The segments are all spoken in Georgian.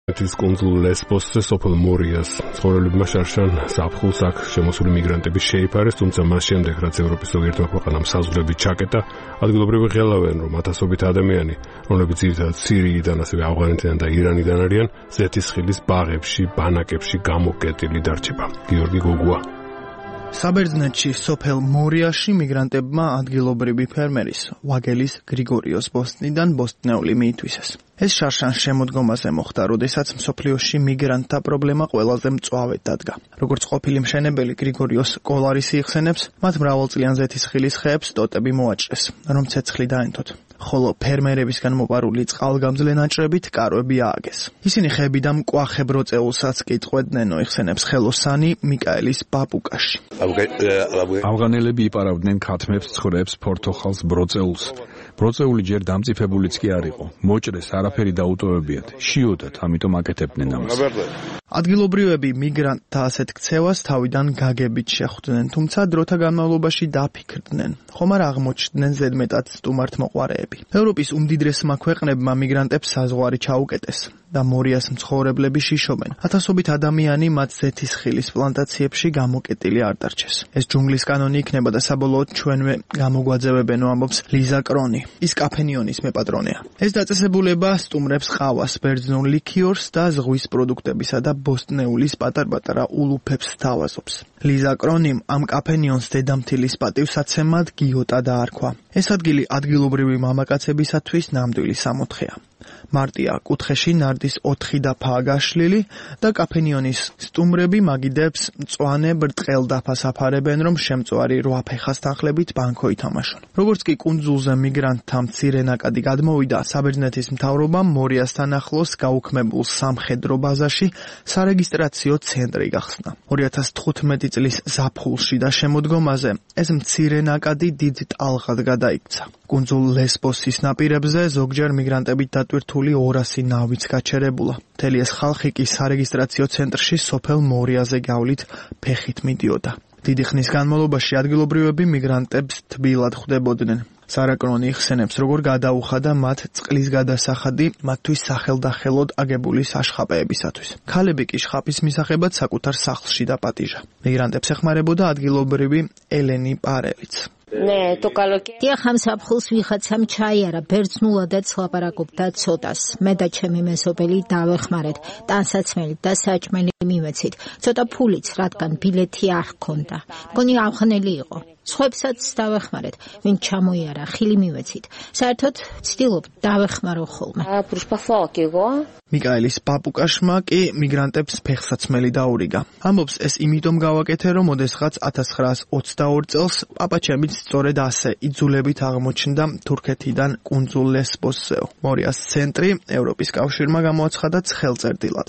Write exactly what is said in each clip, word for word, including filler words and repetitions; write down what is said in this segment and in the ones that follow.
ეს კუნძულ ლესბოსზე სოფელ მორიას ცხოვრებლებმა შარშან ზაფხულს აქ შემოსული მიგრანტები შეიფარეს, თუმცა მას შემდეგ, რაც ევროპის ზოგიერთმა ქვეყანამ საზღვრები ჩაკეტა, ადგილობრივი ღელავენ, რომ ათასობით ადამიანი, რომლებიც ძირითადად სირიიდან, ასევე ავღანეთიდან და ირანიდან არიან, ზეთისხილის ბაღებში, ბანაკებში გამოკეტილი დარჩება. გიორგი გოგუა. საბერძნეთში სოფელ მორიაში მიგრანტებმა ადგილობრივი ფერმერის ვაგელის გრიგორიოს ბოსტნიდან ბოსტნეული მიითვისეს. ეს შარშან შემოდგომაზე მოხდა, როდესაც მსოფლიოში მიგრანტთა პრობლემა ყველაზე მწვავედ დადგა. როგორც ყოფილი მშენებელი გრიგორიოს კოლარისი იხსენებს, მათ მრავალწლიან ზეთისხილის ხეებს ტოტები მოაჭრეს, რომ ცეცხლი დაენთოთ. ხოლო ფერმერებისგან მოპარული წყალგამძლე ნაჭრებით კარვები ააგეს. ისინი ხეებიდან მკვახე ბროწეულსაც კი წყვეტნენო, იხსენებს ხელოსანი მიკაელის ბაბუკაში. ავღანელები იპარავდნენ ქათმებს, ცხვრებს, ფორთოხალს, ბროწეულს. ბროწეული ჯერ დამწიფებულიც კი არ იყო. მოჭრეს არაფერი დაუტოვებიათ. შიოდათ, ამიტომ აკეთებდნენ ამას. ადგილობრივები მიგრანტთა ასეთ ქცევას თავიდან გაგებით შეხვდნენ, თუმცა დროთა განმავლობაში დაფიქრდნენ, ხომ არ აღმოჩნდნენ ზედმეტად სტუმართმოყვარეები. ევროპის უმდიდრესმა ქვეყნებმა მიგრანტებს საზღვარი ჩაუკეტეს და მორიას მცხოვრებლები შიშობენ. ათასობით ადამიანი მათ ზეთისხილის პლანტაციებში გამოკეტილი არ დარჩეს. ეს ჯუნგლის კანონი იქნება და საბოლოოდ ჩვენვე გამოგვაძევებენო, ამბობს ლიზა კრონი. ის კაფენიონის მეპატრონეა. ეს დაწესებულება სტუმრებს ყავას, ბერძნულ ლიქიორს და ზღვის პროდუქტებისა და ბოსტნეულის პატარ-პატარა ულუფებს თავაზობს. ლიზა კრონიმ ამ კაფენიონს დედამთილის პატივსაცემად გიოტა დაარქვა. ეს ადგილი ადგილობრივი მამაკაცებისათვის ნამდვილი სამოთხეა. მარტია კუთხეში ნარდის ოთხი დაფაა გაშლილი და კაფენიონის სტუმრები მაგიდებს მწვანე ბრტყელ დაფას აფარებენ, რომ შემწვარი რვა ფეხას თანხლებით ბანკო ითამაშონ. როგორც კი კუნძულზე მიგრანტთა მცირე ნაკადი გადმოვიდა, საბერძნეთის მთავრობამ მორიასთან ახლოს გაუქმებულ სამხედრო ბაზაში სარეგისტრაციო ცენტრი გახსნა. ორი ათას თხუთმეტი წლის ზაფხულში და შემოდგომაზე ეს მცირე ნაკადი დიდ ტალღად გადაიქცა. კუნძულ ლესბოსის ნაპირებზე ზოგჯერ მიგრანტებით დატვირთული ორასი ნავიც გაჩერებულა. მთელი ეს ხალხი კი სარეგისტრაციო ცენტრში სოფელ მორიაზე გავლით ფეხით მიდიოდა. დიდი ხნის განმავლობაში ადგილობრივები მიგრანტებს თბილად ხვდებოდნენ. სარა კრონი იხსენებს, როგორ გადაუხადა მათ წყლის გადასახადი მათთვის სახელდახელოდ აგებული საშხაპეებისათვის. ქალები კი შხაპის მისაღებად საკუთარ სახლში დაპატიჟა. მიგრანტებს ეხმარებოდა ადგილობრივი ელენი პარელიც. დიახ, ამ ზაფხულს ვიღაცამ ჩაიარა, ბერძნულადაც ლაპარაკობდა ცოტას. მე და ჩემი მეზობელი დავეხმარეთ, ტანსაცმელით და საჭმელი მივეცით. ცოტა ფულიც, რადგან ბილეთი არ ჰქონდა. მგონი ავღანელი იყო. სხვებსაც დავეხმარეთ, ვინ ჩამოიარა, ხილი მივეცით. საერთოდ ვცდილობ დავეხმარო ხოლმე. მიკაელის ბაბუკაშმა კი მიგრანტებს ფეხსაცმელი დაურიგა. ამბობს, ეს იმიტომ გავაკეთე, რომ ოდესღაც ათას ცხრაას ოცდაორი წელს პაპაჩემიც სწორედ ასე იძულებით აღმოჩნდა თურქეთიდან კუნძულ ლესბოსზეო. მორიას ცენტრი ევროპის კავშირმა გამოაცხადა ცხელწერდილად,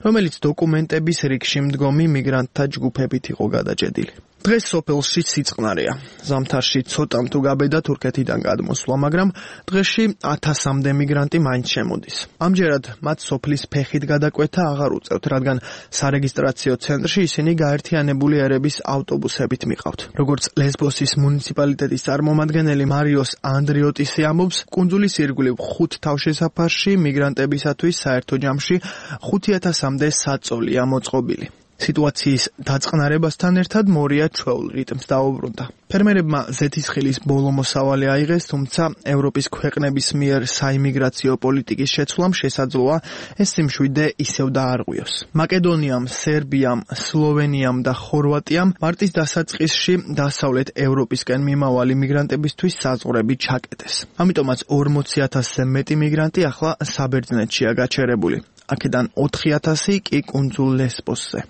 რომელიც დოკუმენტების რიგში მდგომი მიგრანტთა ჯგუფებით იყო გადაჭედილი. დღეს სოფელში სიწყნარია. ზამთარში ცოტამ თუ გაბედა თურქეთიდან გადმოსვლა, მაგრამ დღეში ათასამდე მიგრანტი მაინც შემოდის. ამჯერად მათ სოფლის ფეხით გადაკვეთა აღარ უწევთ, რადგან სარეგისტრაციო ცენტრში ისინი გაერთიანებული ერების ავტობუსებით მიყავთ. როგორც ლესბოსის მუნიციპალიტეტის წარმომადგენელი მარიოს ანდრიოტისი ამბობს, კუნძულის ირგვლივ ხუთ თავშესაფარში მიგრანტებისათვის საერთო ჯამში ხუთი ათასამდე საწოლია მოწყობილი. სიტუაციის დაწყნარებასთან ერთად მორია ჩვეულ რიტმს დაუბრუნდა. ფერმერებმა ზეთისხილის ბოლო მოსავალი აიღეს, თუმცა ევროპის ქვეყნების მიერ საიმიგრაციო პოლიტიკის შეცვლამ შესაძლოა ეს სიმშვიდე ისევ დაარღვიოს. მაკედონიამ, სერბიამ, სლოვენიამ და ხორვატიამ მარტის დასაწყისში დასავლეთ ევროპისკენ მიმავალი მიგრანტებისთვის საზღვრები ჩაკეტეს. ამიტომაც ორმოცი ათასზე მეტი მიგრანტი ახლა საბერძნეთშია გაჩერებული. აქედან ოთხი ათასი კი კუნძულ ლესბოსზე.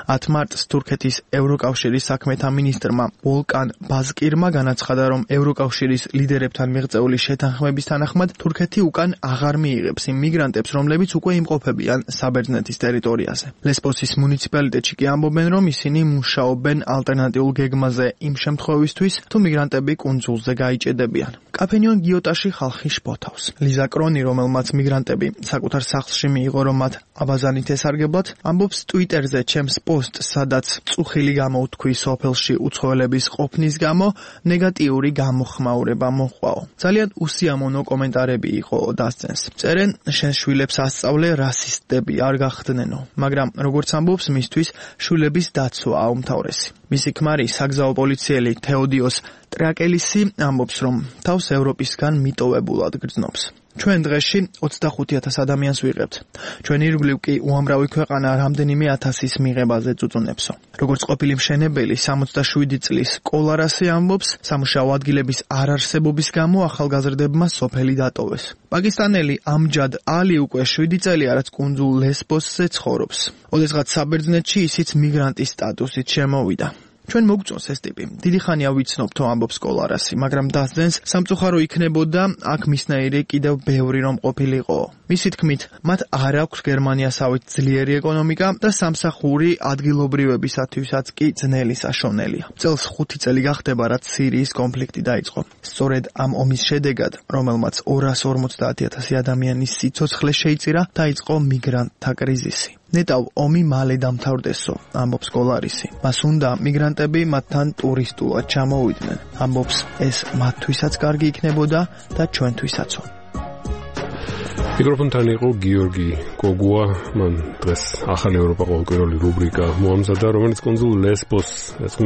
ათ მარტს თურქეთის ევროკავშირის საქმეთა მინისტრმა ვოლკან ბაზკირმა განაცხადა, რომ ევროკავშირის ლიდერებთან მიღწეული შეთანხმების თანახმად თურქეთი უკან აღარ მიიღებს იმ მიგრანტებს, რომლებიც უკვე იმყოფებიან საბერძნეთის ტერიტორიაზე. ლესბოსის მუნიციპალიტეტში კი ამბობენ, რომ ისინი მუშაობენ ალტერნატიულ გეგმაზე იმ შემთხვევისთვის, თუ მიგრანტები კუნძულზე გაიჭედებიან. კაფენიონ გიოტაში ხალხი შფოთავს. ლიზა კრონი, რომელმაც მიგრანტები საკუთარ სახლში მიიღო, რომ მათ აბაზანით ესარგებლად, ამბობს ტვიტერზე ჩემს პოსტს, სადაც წუხილი გამოვთქვი სოფელში უცხოელების ყოფნის გამო, ნეგატიური გამოხმაურება მოჰყავ. ძალიან უსიამოვნო კომენტარები იყო დასცენს. წერენ, შენ შვილებს ასწავლე, რასისტები არ გახდნენო, მაგრამ როგორც ამბობს, მისთვის შვილების დაცვა აუმთავრესი. მისი ქმარი, საგზაო პოლიციელი თეოდიოს ტრაკელისი ამბობს, რომ თავს ევროპისგან მიტოვებულად გრძნობს. ჩვენ დღეში ოცდახუთ ათას ადამიანს ვიღებთ. ჩვენ ირგვლივ კი უამრავი ქვეყანა რამდენიმე ათასის მიღებაზე წუწუნებსო. როგორც ყოფილი მშენებელი სამოცდაშვიდი წლის კოლარასი ამბობს, სამუშაო ადგილების არარსებობის გამო ახალგაზრდებმა სოფელი დატოვეს. პაკისტანელი ამჯად ალი უკვე შვიდი წელია, რაც კუნძულ ლესბოსზე ცხოვრობს. ოდესღაც საბერძნეთში ისიც მიგრანტის სტატუსით შემოვიდა. ჩვენ მოგწონს ეს ტიპი. დიდი ხანია ვიცნობთო ამბობს კოლარასი, მაგრამ დასძენს სამწუხარო იქნებოდა აქ მისნაირი კიდევ ბევრი რომ ყოფილიყო. მისი თქმით, მათ არ აქვს გერმანიასავით ძლიერი ეკონომიკა და სამსახური ადგილობრივებისათვისაც კი ძნელი საშონელია. წელს ხუთი წელი გახდება, რაც სირიის კონფლიქტი დაიწყო. სწორედ ამ ომის შედეგად, რომელმაც ორას ორმოცდაათი ათასი ადამიანის სიცოცხლე შეიწირა, დაიწყო მიგრანტთა კრიზისი. ნეტავ ომი მალე დამთავრდესო, ამბობს კოლარისი. მას უნდა მიგრანტები მათთან ტურისტულად ჩამოვიდნენ. ამბობს, ეს მათთვისაც კარგი იქნებოდა და ჩვენთვისაც. მიკროფონთან იყო გიორგი კოგუა, მან დღეს ახალი ევროპა ყოველკვირეული რუბრიკა მოამზადა, რომელიც კუნძულ ლესბოს